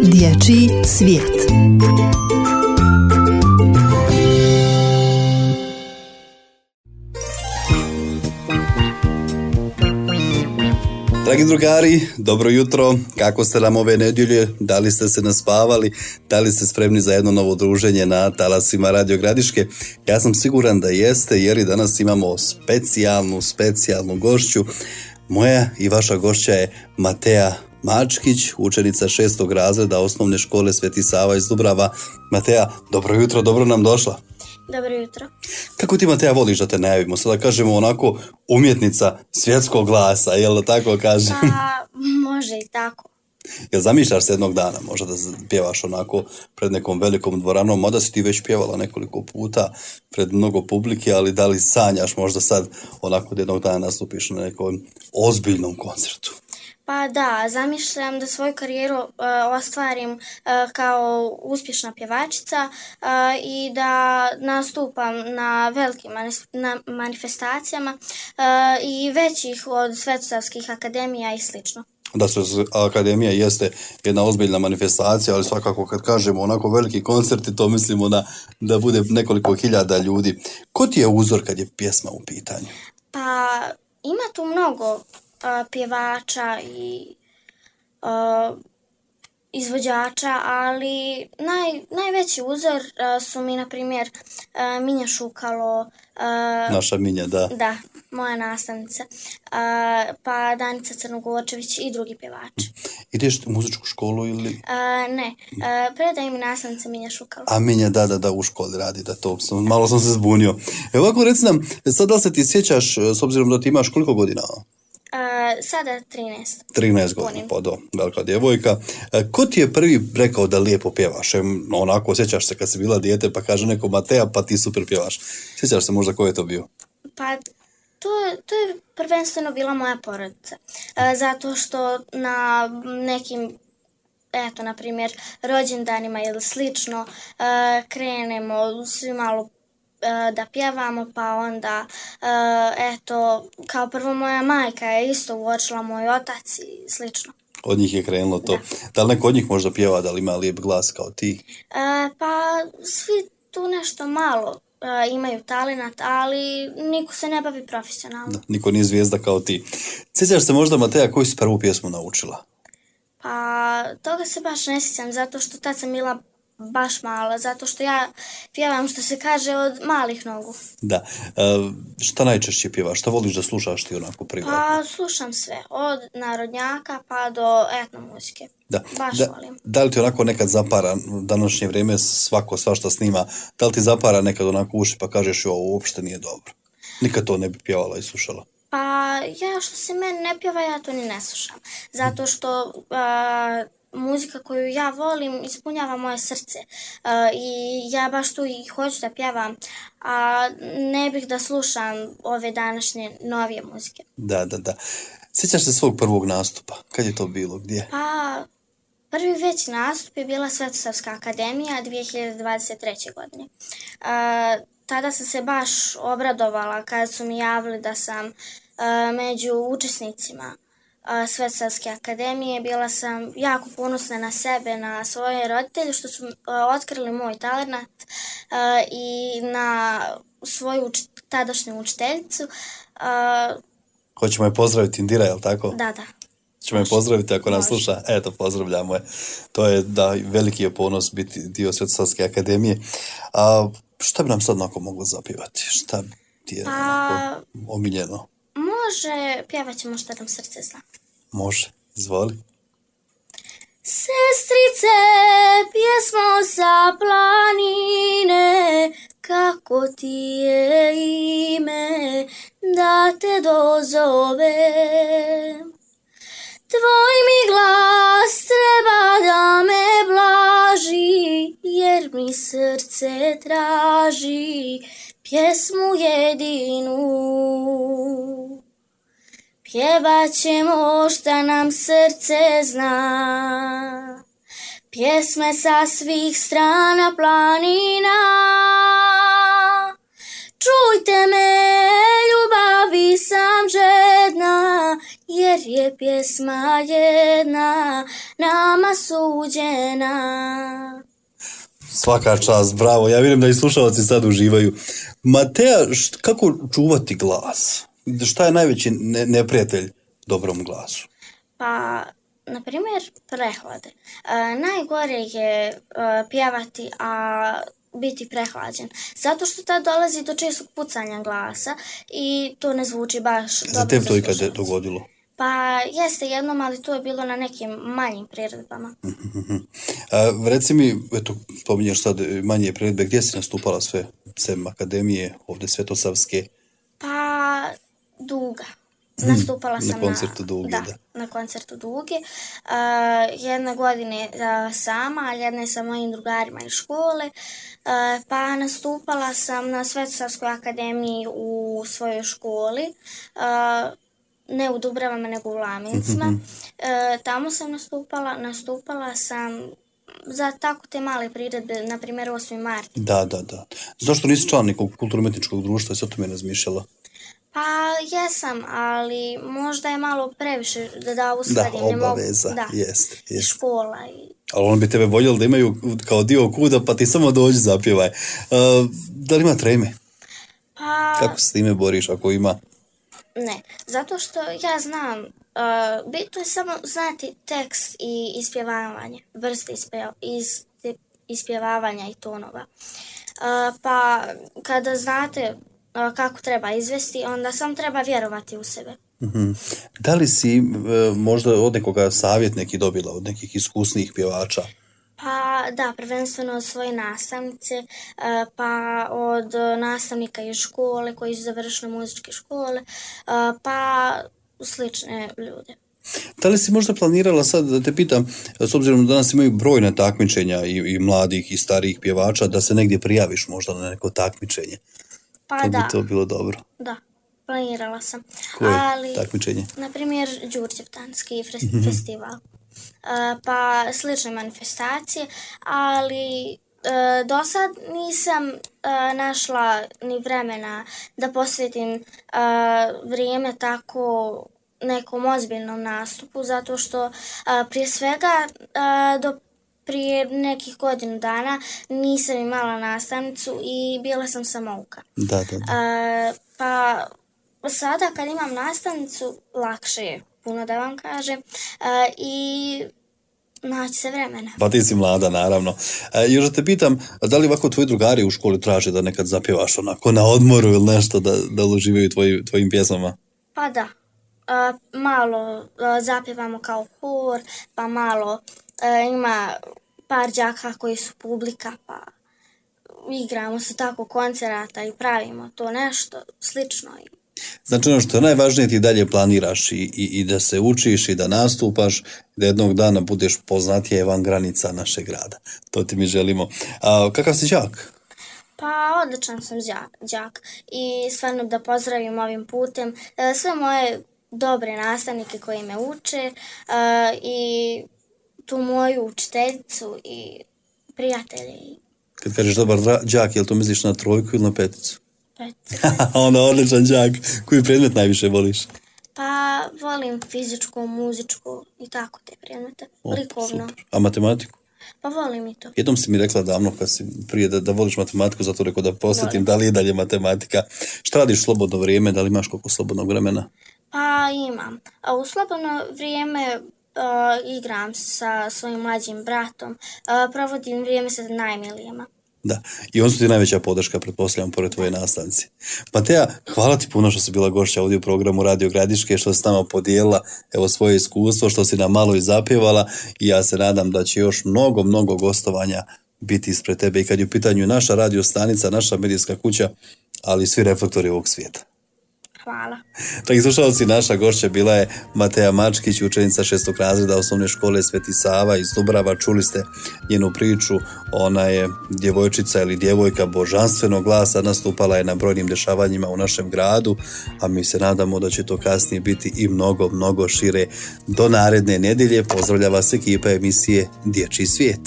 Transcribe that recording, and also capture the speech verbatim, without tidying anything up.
Dječji svijet. Dragi drugari, dobro jutro. Kako ste nam ove nedjelje? Da li ste se naspavali? Da li ste spremni za jedno novo druženje na talasima Radio Gradiške? Ja sam siguran da jeste, jer i danas imamo specijalnu, specijalnu gošću. Moja i vaša gošća je Mateja Mačkić, učenica šestog razreda osnovne škole Sveti Sava iz Dubrava. Mateja, dobro jutro, dobro nam došla. Dobro jutro. Kako ti, Mateja, voliš da te najavimo? Sada kažemo onako umjetnica svjetskog glasa, jel da tako kažem? Pa, može i tako. Jel zamišljaš se jednog dana možda da pjevaš onako pred nekom velikom dvoranom, mada si ti već pjevala nekoliko puta pred mnogo publike, ali da li sanjaš možda sad onako da jednog dana nastupiš na nekom ozbiljnom koncertu? Pa da, zamišljam da svoju karijeru uh, ostvarim uh, kao uspješna pjevačica uh, i da nastupam na velikim manis- na manifestacijama uh, i većih od svetosavskih akademija i slično. Da se akademija jeste jedna ozbiljna manifestacija, ali svakako kad kažemo onako veliki koncerti, to mislimo na, da bude nekoliko hiljada ljudi. Ko ti je uzor kad je pjesma u pitanju? Pa ima tu mnogo Uh, pjevača i uh, izvođača, ali naj, najveći uzor uh, su mi, na primjer, uh, Minja Šukalo. Uh, Naša Minja, da. Da, moja nastavnica. Uh, pa Danica Crnogorčević i drugi pjevači. Ideš u muzičku školu ili? Uh, ne, uh, predaje mi nastavnica Minja Šukalo. A Minja, da, da, da, u školi radi, da to, sam, malo sam se zbunio. Evo ovako, reci nam, sad da li se ti sjećaš, s obzirom da ti imaš koliko godina? Uh, sada trinaest. trinaest godina, pa do, velika djevojka. E, ko ti je prvi rekao da lijepo pjevaš? E, onako, sjećaš se kad si bila dijete pa kaže neko Mateja, pa ti super pjevaš. Sjećaš se možda ko je to bio? Pa to, to je prvenstveno bila moja porodica. E, zato što na nekim, eto, na primjer, rođendanima ili slično, e, krenemo svi malo da pjevamo, pa onda eto, kao prvo moja majka je isto uočila, moj otac i slično. Od njih je krenulo to. Da, da li neko od njih možda pjeva, da li ima lijep glas kao ti? E, pa svi tu nešto malo e, imaju talenat, ali niko se ne bavi profesionalno. Da, niko nije zvijezda kao ti. Sjećaš se možda, Mateja, koju si prvu pjesmu naučila? Pa toga se baš ne sjećam, zato što tad sam bila baš mala, zato što ja pjevam, što se kaže, od malih nogu. Da. E, šta najčešće pjevaš? Šta voliš da slušaš ti onako privatno? Pa slušam sve, od narodnjaka pa do etno muzike. Da. Baš da, volim. Da li ti onako nekad zapara, današnje vrijeme svako svašta snima, da li ti zapara nekad onako uši pa kažeš ovo uopšte nije dobro? Nikad to ne bi pjevala i slušala? Pa ja, što se meni ne pjeva, ja to ni ne slušam. Zato što Uh, muzika koju ja volim ispunjava moje srce uh, i ja baš tu i hoću da pjevam, a ne bih da slušam ove današnje novije muzike. Da, da, da. Sjećaš se svog prvog nastupa? Kad je to bilo? Gdje? Pa prvi veći nastup je bila Svetosavska akademija dvije hiljade dvadeset treće. godine. Uh, tada sam se baš obradovala kada su mi javili da sam uh, među učesnicima Svetosavske akademije. Bila sam jako ponosna na sebe, na svoje roditelje što su uh, otkrili moj talent uh, i na svoju uč- tadašnju učiteljicu. Uh, Hoćemo je pozdraviti, Indira, je li tako? Da, da. Hoćemo je pozdraviti ako nas sluša. Eto, pozdravljamo je. To je, da, veliki je ponos biti dio Svetosavske akademije. A šta bi nam sad onako moglo zapjevati? Šta ti je pa, onako omiljeno? Može, pjevat ćemo Šta nam srce zna. Može, izvoli. Sestrice, pjesmo sa planine, kako ti je ime, da te dozovem. Tvoj mi glas treba da me blaži, jer mi srce traži pjesmu jedinu. Pjevat ćemo šta nam srce zna, pjesme sa svih strana planina. Čujte me, ljubavi sam žedna, jer je pjesma jedna nama suđena. Svaka čast, bravo. Ja vjerujem da i slušalci sad uživaju. Matea, št, kako čuvati glas? Šta je najveći ne, neprijatelj dobrom glasu? Pa, na primjer, prehlade. E, najgore je e, pjevati, a biti prehlađen. Zato što tad dolazi do čestog pucanja glasa i to ne zvuči baš dobro za za tebi to ikad slušalce. dogodilo? Pa jeste jednom, ali to je bilo na nekim manjim priredbama. A, reci mi, eto, spominješ sad manje priredbe, gdje si nastupala sve? Sem akademije, ovdje Svetosavske? Pa, Duga. Nastupala sam na koncertu Duge, da, da. na koncertu Duge. Uh, jedne godine uh, sama, a jedne sa mojim drugarima iz škole. Uh, pa nastupala sam na Svetosavskoj akademiji u svojoj školi. Uh, ne u Dubravama, nego u Lamincima. Mhm. E, tamo sam nastupala, nastupala sam za tako te male priredbe, na primjer osmi mart. Da, da, da. Zašto nisi član nekog kulturno-umetničkog društva i sad to me razmišljala? Pa jesam, ali možda je malo previše da, da Da, uskladim. Ne mogu- obaveza, da, jest, i jest. škola. I, Ali on bi tebe voljeli da imaju kao dio kuda, pa ti samo dođi zapjevaj. Uh, da li ima treme? pa Kako se s time boriš ako ima? ne, zato što ja znam, uh, bitno je samo znati tekst i ispjevavanje, vrste ispje, ispe- ispjevavanja i tonova. Uh, pa kada znate uh, kako treba izvesti, onda samo treba vjerovati u sebe. Mhm. Da li si e, možda od nekoga savjet neki dobila, od nekih iskusnijih pjevača? Pa da, prvenstveno od svoje nastavnice, e, pa od nastavnika iz škole koji su završili muzičke škole, e, pa slične ljude. Da li si možda planirala sad, da te pitam, s obzirom da danas imaju brojna takmičenja i, i mladih i starijih pjevača, da se negdje prijaviš možda na neko takmičenje? Pa To da, bi to bilo dobro. da, planirala sam. Koje Ali, takmičenje? na primjer, Đurđevdanski fres- festival. E, pa slične manifestacije, ali e, do sad nisam e, našla ni vremena da posvetim e, vrijeme tako nekom ozbiljnom nastupu, zato što e, prije svega e, do prije nekih godinu dana nisam imala nastavnicu i bila sam samouka. Da, da, da. E, pa sada kad imam nastavnicu, lakše je puno da vam kažem, e, i naći se vremena. Pa ti si mlada, naravno. E, još da te pitam, da li ovako tvoji drugari u školi traže da nekad zapjevaš onako na odmoru ili nešto, da, da uživaju tvoji, tvojim pjesmama? Pa da, e, malo e, zapjevamo kao hor, pa malo e, ima par đaka koji su publika, pa igramo se tako koncerata i pravimo to nešto slično. Znači ono što je najvažnije, ti dalje planiraš i, i, i da se učiš i da nastupaš, da jednog dana budeš poznatije van granica našeg grada. To ti mi želimo. A kakav si đak? Pa odličan sam đak, đak i stvarno da pozdravim ovim putem e, sve moje dobre nastavnike koji me uče e, i tu moju učiteljicu i prijatelje i Kad kažeš dobar dra- đak, jel to misliš na trojku ili na peticu? peticu. Onda odličan đak. Koji predmet najviše voliš? Pa volim fizičku, muzičku i tako te predmete, O, likovno. super. A matematiku? Pa volim i to. Jednom si mi rekla davno kad si prije da, da voliš matematiku, zato rekao da posjetim Volim. da li je dalje matematika. Šta radiš u slobodno vrijeme, da li imaš koliko slobodnog vremena? Pa imam. A u slobodno vrijeme uh, igram se sa svojim mlađim bratom, uh, provodim vrijeme sa najmilijima. Da, i on su ti najveća podrška, pretpostavljam, pored tvoje nastavnice. Matea, hvala ti puno što si bila gošća ovdje u programu Radio Gradiške, što si s nama podijelila evo svoje iskustvo, što si nam malo i zapjevala i ja se nadam da će još mnogo, mnogo gostovanja biti ispred tebe i kad je u pitanju naša radio stanica, naša medijska kuća, ali i svi reflektori ovog svijeta. Hvala. Dragi slušalci, naša gošća bila je Matea Mačkić, učenica šestog razreda osnovne škole Sveti Sava iz Dubrava. Čuli ste njenu priču, ona je djevojčica ili djevojka božanstvenog glasa, nastupala je na brojnim dešavanjima u našem gradu, a mi se nadamo da će to kasnije biti i mnogo, mnogo šire. Do naredne nedjelje pozdravlja vas ekipa emisije Dječji svijet.